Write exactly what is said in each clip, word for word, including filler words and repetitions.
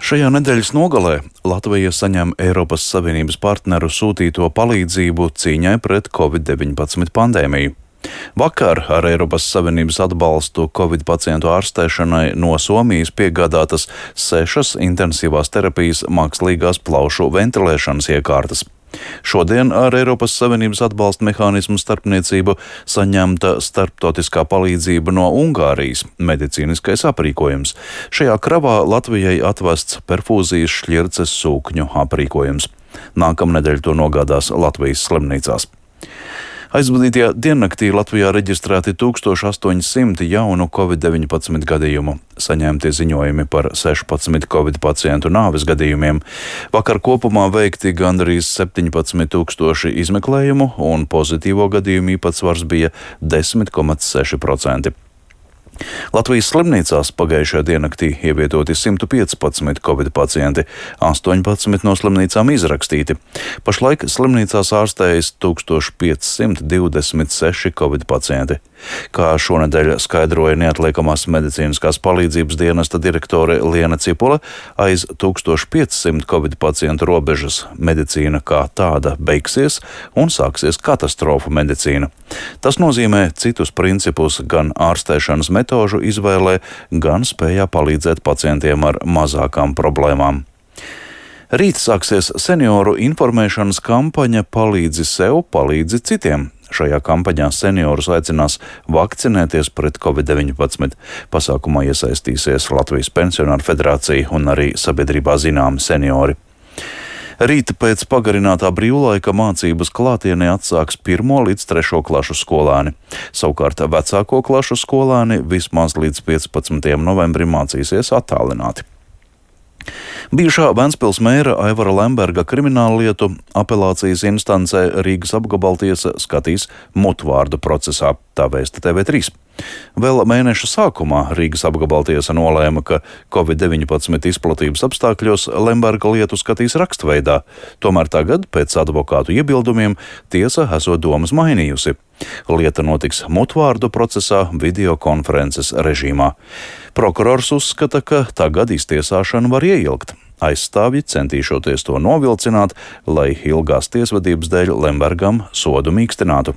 Šajā nedēļas nogalē Latvija saņem Eiropas Savienības partneru sūtīto palīdzību cīņai pret covid deviņpadsmit pandēmiju. Vakar ar Eiropas Savienības atbalstu Covid pacientu ārstēšanai no Somijas piegādātas sešas intensīvās terapijas mākslīgās plaušu ventilēšanas iekārtas. Šodien ar Eiropas Savienības atbalsta mehānismu starpniecību saņemta starptautiskā palīdzība no Ungārijas - medicīniskais aprīkojums. Šajā kravā Latvijai atvests perfūzijas šķirces sūkņu aprīkojums. Nākamnedēļ to nogādās Latvijas slimnīcās. Aizvadītajā diennaktī Latvijā reģistrēti tūkstoš astoņi simti jaunu covid deviņpadsmit gadījumu. Saņemti ziņojumi par sešpadsmit covid pacientu nāves gadījumiem. Vakar kopumā veikti gandrīz septiņpadsmit tūkstoši izmeklējumu, un pozitīvo gadījumu īpatsvars bija desmit komats seši procenti. Latvijas slimnīcās pagājušajā diennaktī ievietoti simt piecpadsmit covid pacienti, astoņpadsmit no slimnīcām izrakstīti. Pašlaik slimnīcās ārstējas tūkstoš piecsimt divdesmit seši covid pacienti. Kā šonedēļ skaidroja neatliekamās medicīniskās palīdzības dienesta direktore Liena Cipula, aiz tūkstoš piecsimt covid pacientu robežas medicīna kā tāda beigsies un sāksies katastrofu medicīna. Tas nozīmē citus principus gan ārstēšanas metožu izvēlē, gan spējā palīdzēt pacientiem ar mazākām problēmām. Rīt sāksies senioru informēšanas kampaņa Palīdzi sev, palīdzi citiem. Šajā kampaņā seniorus aicinās vakcinēties pret covid deviņpadsmit. Pasākumā iesaistīsies Latvijas Pensionāru federācija un arī sabiedrībā zināmi seniori. Rīt pēc pagarinātā brīvlaika mācības klātienē atsāks pirmo līdz trešo klašu skolēni. Savukārt vecāko klašu skolēni vismaz līdz piecpadsmitajam novembrim mācīsies attālināti. Bijušā Ventspils mēra Aivara Lemberga krimināllietu apelācijas instancē Rīgas apgabaltiesa skatīs mutvārdu procesā, tā vēsta T V trīs. Vēl mēneša sākumā Rīgas apgabaltiesa nolēma, ka covid deviņpadsmit izplatības apstākļos Lemberga lietu skatīs rakstveidā, tomēr tagad, pēc advokātu iebildumiem, tiesa esot domas mainījusi. Lieta notiks mutvārdu procesā videokonferences režīmā. Prokurors uzskata, ka tagad iztiesāšanu var ieilgt. Aizstāvji centīšoties to novilcināt, lai ilgās tiesvedības dēļ Lembergam sodu mīkstinātu.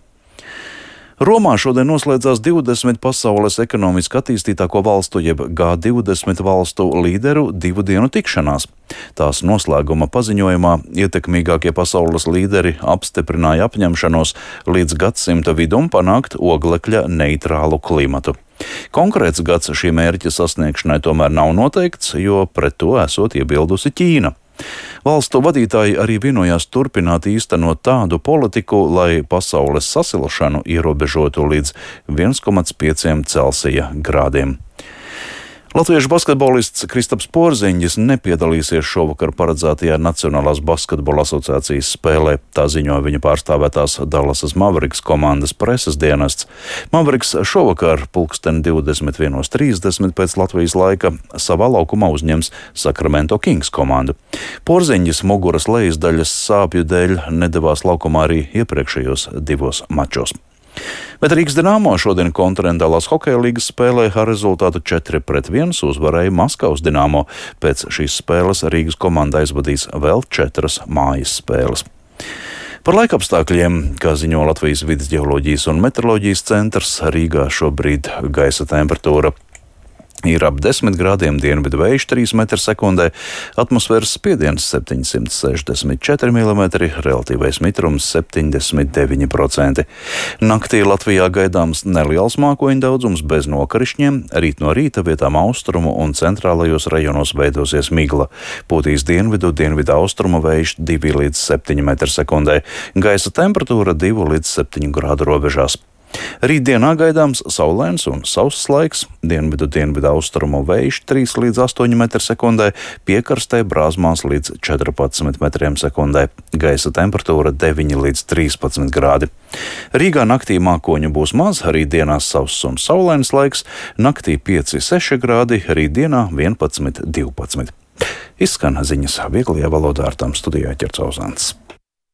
Romā šodien noslēdzās divdesmit pasaules ekonomiski attīstītāko valstu jeb G divdesmit valstu līderu divu dienu tikšanās. Tās noslēguma paziņojumā ietekmīgākie pasaules līderi apstiprināja apņemšanos līdz gadsimta vidum panākt oglekļa neitrālu klimatu. Konkrēts gads šī mērķa sasniegšanai tomēr nav noteikts, jo pret to esot iebildusi Ķīna. Valstu vadītāji arī vienojās turpināt īstenot tādu politiku, lai pasaules sasilšanu ierobežotu līdz viens komats pieci Celsija grādiem. Latviešu basketbolists Kristaps Porziņģis nepiedalīsies šovakar paredzētajā Nacionālās basketbola asociācijas spēlē, tā ziņoja viņa pārstāvētās Dallasas Mavericks komandas preses dienests. Mavericks šovakar pulksten divdesmit viens trīsdesmit pēc Latvijas laika savā laukumā uzņems Sacramento Kings komandu. Porziņģis muguras lejasdaļas sāpju dēļ nedavās laukumā arī iepriekšējos divos mačos. Bet Rīgas Dinamo šodien kontinentālās hokeja līgas spēlē ar rezultātu četri pret viens uzvarēja Maskavas Dinamo. Pēc šīs spēles Rīgas komanda aizvadīs vēl četras mājas spēles. Par laikapstākļiem, kā ziņo Latvijas vides ģeoloģijas un meteoroloģijas centrs, Rīgā šobrīd gaisa temperatūra ir ap desmit grādiem, dienvidu vējš trīs metri sekundē, atmosfēras spiediens septiņsimt sešdesmit četri milimetri, relatīvais mitrums septiņdesmit deviņi procenti. Naktī Latvijā gaidāms neliels mākoņu daudzums bez nokrišņiem, rīt no rīta vietām austrumu un centrālajos rajonos veidosies migla. Pūtīs dienvidu, dienvidu austrumu vējš divi līdz septiņi metri sekundē, gaisa temperatūra divi līdz septiņi grādu robežās. Rītdienā gaidāms saulains un sauss laiks, dienvidu dienvidu austrumu vējš trīs līdz astoņi metri sekundē, piekrastē brāzmās līdz četrpadsmit metriem sekundē, gaisa temperatūra deviņi līdz trīspadsmit grādi. Rīgā naktī mākoņu būs maz, rītdienās sauss un saulains laiks, naktī pieci seši grādi, rītdienā vienpadsmit divpadsmit. Izskan ziņas vieglajā valodā, ar tām studijā Ķercauzāns.